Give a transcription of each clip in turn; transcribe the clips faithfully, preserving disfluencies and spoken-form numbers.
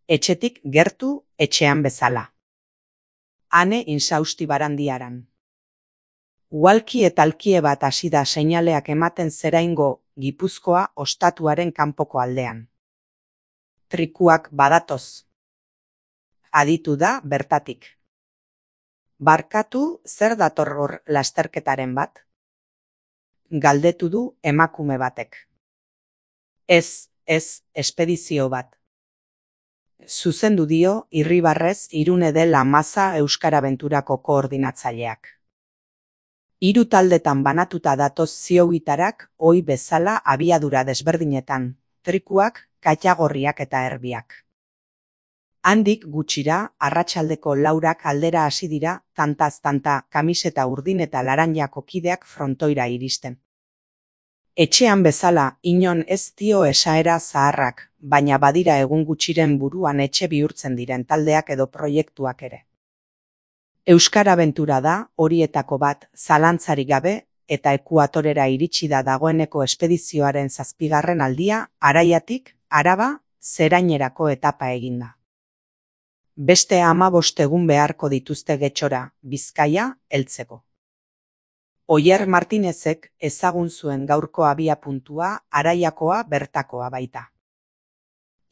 Etxetik gertu, etxean bezala. Ane insausti barandiaran. Uhalki eta alkie bat hasi da seinaleak ematen Zeraingo, Gipuzkoa ostatuaren kanpoko aldean. Trikuak badatoz. Aditu da bertatik. Barkatu, zer dator hor lasterketaren bat? Galdetu du emakume batek. Ez, ez, espedizio bat. Zuzendu dio Irribarrez Irune dela Maza Euskarabenturako koordinatzaileak. Hiru taldetan banatuta datoz ziogitarak, ohi bezala abiadura desberdinetan, trikuak, katagorriak eta erbiak. Handik gutxira, arratsaldeko laurak aldera hasi dira, tantaz-tanta, kamiseta urdin eta laranjako kideak frontoira iristen. Etxean bezala, inon ez dio esaera zaharrak, baina badira egun gutxiren buruan etxe bihurtzen diren taldeak edo proiektuak ere. Euskarabentura da, horietako bat, zalantzarik gabe, eta ekuatorera iritsi da dagoeneko espedizioaren zazpigarren aldia, Araiatik, Araba, Zerainerako etapa eginda. Beste hamabost egun beharko dituzte Getxora, Bizkaia, heltzeko. Oier Martinezek ezagun zuen gaurko abiapuntua Araiakoa bertakoa baita.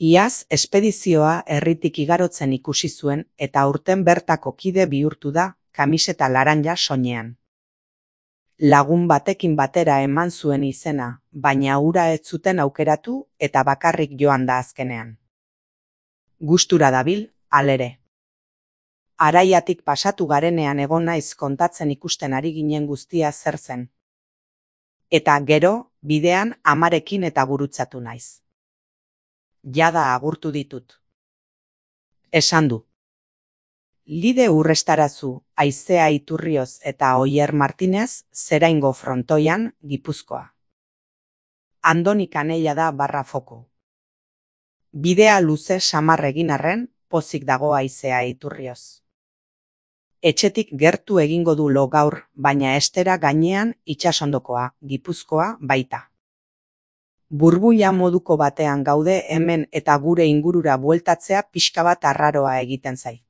Iaz, espedizioa herritik igarotzen ikusi zuen eta aurten bertako kide bihurtu da, kamiseta laranja soinean. Lagun batekin batera eman zuen izena, baina hura ez zuten aukeratu eta bakarrik joan da azkenean. Gustura dabil, halere. Araiatik pasatu garenean egon naiz kontatzen ikusten ari ginen guztia zer zen. Eta gero, bidean amarekin eta gurutzatu naiz. Jada agurtu ditut. Esan du. Lide Urrestarazu, Aizea Iturrioz eta Oier Martinez, Zeraingo frontoian, Gipuzkoa. Andoni Kanella da barra foko. Bidea luze samar egin arren, pozik dago Aizea Iturrioz. Etxetik gertu egingo du lo gaur, baina estera gainean itsasondokoa, Gipuzkoa baita. Burbuila moduko batean gaude hemen eta gure ingurura bueltatzea pixka bat arraroa egiten zait.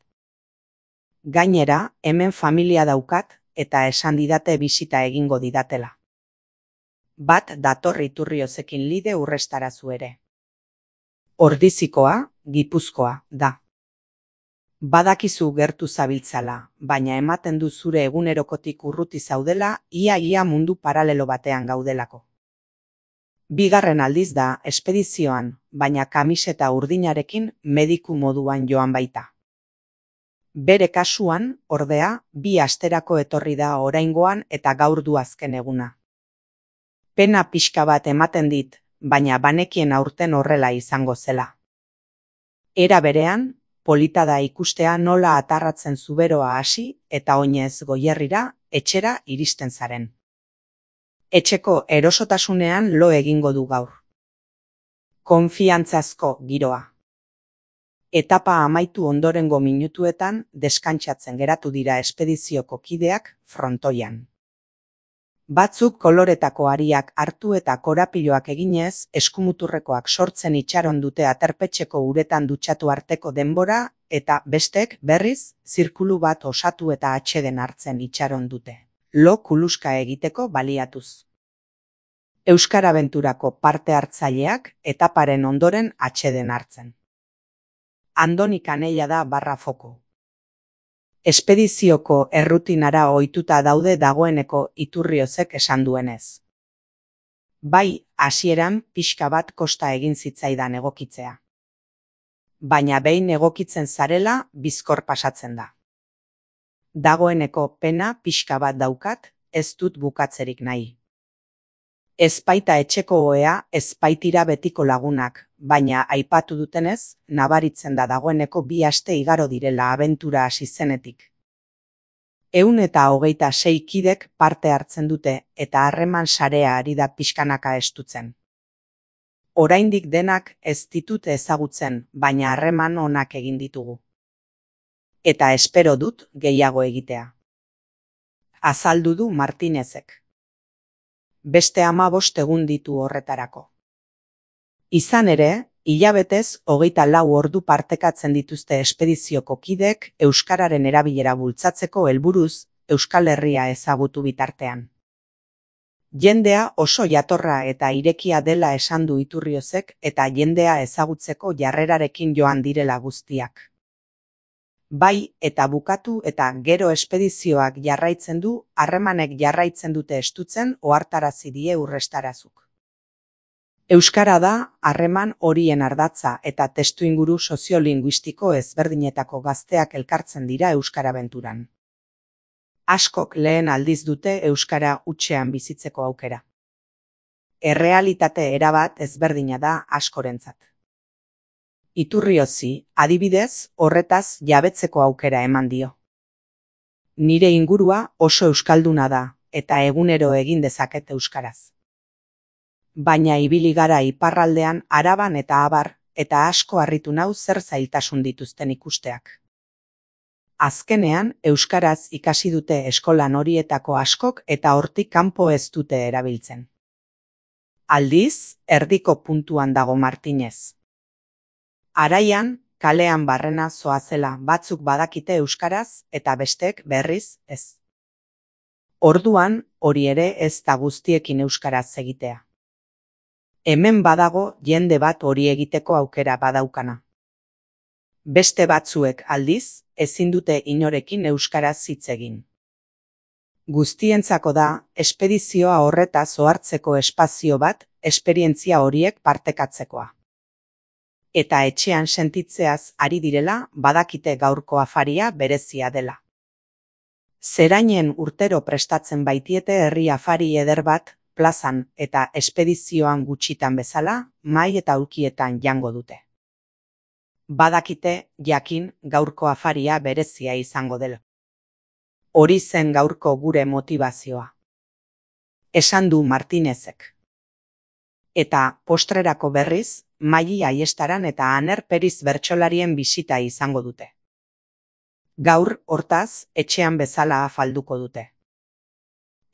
Gainera, hemen familia daukat eta esan didate bisita egingo didatela. Bat dator Iturriozekin Lide Urrestarazu ere. Ordizikoa, Gipuzkoa, da. Badakizu gertu zabiltzala, baina ematen du zure egunerokotik urruti zaudela, ia-ia mundu paralelo batean gaudelako. Bigarren aldiz da, espedizioan, baina kamiseta urdinarekin mediku moduan joan baita. Bere kasuan, ordea, bi asterako etorri da oraingoan eta gaur du azken eguna. Pena pixka bat ematen dit, baina banekien aurten horrela izango zela. Era berean, polita da ikustea nola atarratzen zuberoa hasi eta oinez Goierrira, etxera iristen zaren. Etxeko erosotasunean lo egingo du gaur. Konfiantzazko giroa. Etapa amaitu ondorengo minutuetan deskantsatzen geratu dira espedizioko kideak frontoian. Batzuk koloretako ariak hartu eta korapiloak eginez, eskumuturrekoak sortzen itxaron dute aterpetxeko uretan dutxatu arteko denbora, eta bestek, berriz, zirkulu bat osatu eta atseden hartzen itxaron dute. Lo kuluska egiteko baliatuz. Euskarabenturako parte hartzaileak etaparen ondoren atseden hartzen. Andoni Kanella da barra foko. Espedizioko errutinara ohituta daude dagoeneko Iturriozek esan duenez. Bai, hasieran pixka bat kosta egin zitzaidan egokitzea. Baina behin egokitzen zarela, bizkor pasatzen da. Dagoeneko pena pixka bat daukat, ez dut bukatzerik nahi. Ezpaita etxeko ohea, ezpaitira betiko lagunak, baina aipatu dutenez, nabaritzen da dagoeneko bi aste igaro direla abentura hasi zenetik. Ehun eta hogeita sei kidek parte hartzen dute eta harreman sarea ari da pixkanaka estutzen. Oraindik denak ez ditut ezagutzen, baina harreman onak egin ditugu. Eta espero dut gehiago egitea. Azaldu du Martinezek. Beste hamabost egun ditu horretarako. Izan ere, Hilabetez, hogeita lau ordu partekatzen dituzte espedizioko kideek euskararen erabilera bultzatzeko helburuz, Euskal Herria ezagutu bitartean. Jendea oso jatorra eta irekia dela esan du Iturriozek eta jendea ezagutzeko jarrerarekin joan direla guztiak. Bai, eta bukatu eta gero espedizioak jarraitzen du, harremanek jarraitzen dute estutzen ohartarazi die Urrestarazuk. Euskara da harreman horien ardatza eta testuinguru soziolinguistiko ezberdinetako gazteak elkartzen dira euskarabenturan. Askok lehen aldiz dute euskara hutsean bizitzeko aukera. Errealitate erabat ezberdina da askorentzat. Iturriozi, adibidez, horretaz jabetzeko aukera eman dio. Nire ingurua oso euskalduna da, eta egunero egin dezaket euskaraz. Baina ibili gara iparraldean Araban eta Abar, eta asko harritu nau zer zailtasun dituzten ikusteak. Azkenean, euskaraz ikasi dute eskolan horietako askok eta hortik kanpo ez dute erabiltzen. Aldiz, erdiko puntuan dago Martinez. Araian, kalean barrena zoazela batzuk badakite euskaraz eta bestek berriz ez. Orduan, hori ere ez da guztiekin euskaraz egitea. Hemen badago jende bat hori egiteko aukera badaukana. Beste batzuek aldiz, ezin dute inorekin euskaraz hitz egin. Guztientzako da, espedizioa horretaz ohartzeko espazio bat, esperientzia horiek partekatzekoa. Eta etxean sentitzeaz ari direla, badakite gaurko afaria berezia dela. Zerainen urtero prestatzen baitiete herri afari eder bat, plazan eta espedizioan gutxitan bezala, mahai eta aulkietan jango dute. Badakite, jakin, gaurko afaria berezia izango dela. Hori zen gaurko gure motivazioa. Esan du Martinezek. Eta, postrerako berriz, Maili Aiestaran eta Aner Periz bertsolarien bisita izango dute. Gaur, hortaz, etxean bezala afalduko dute.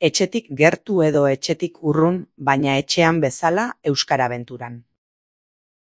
Etxetik gertu edo etxetik urrun, baina etxean bezala euskarabenturan.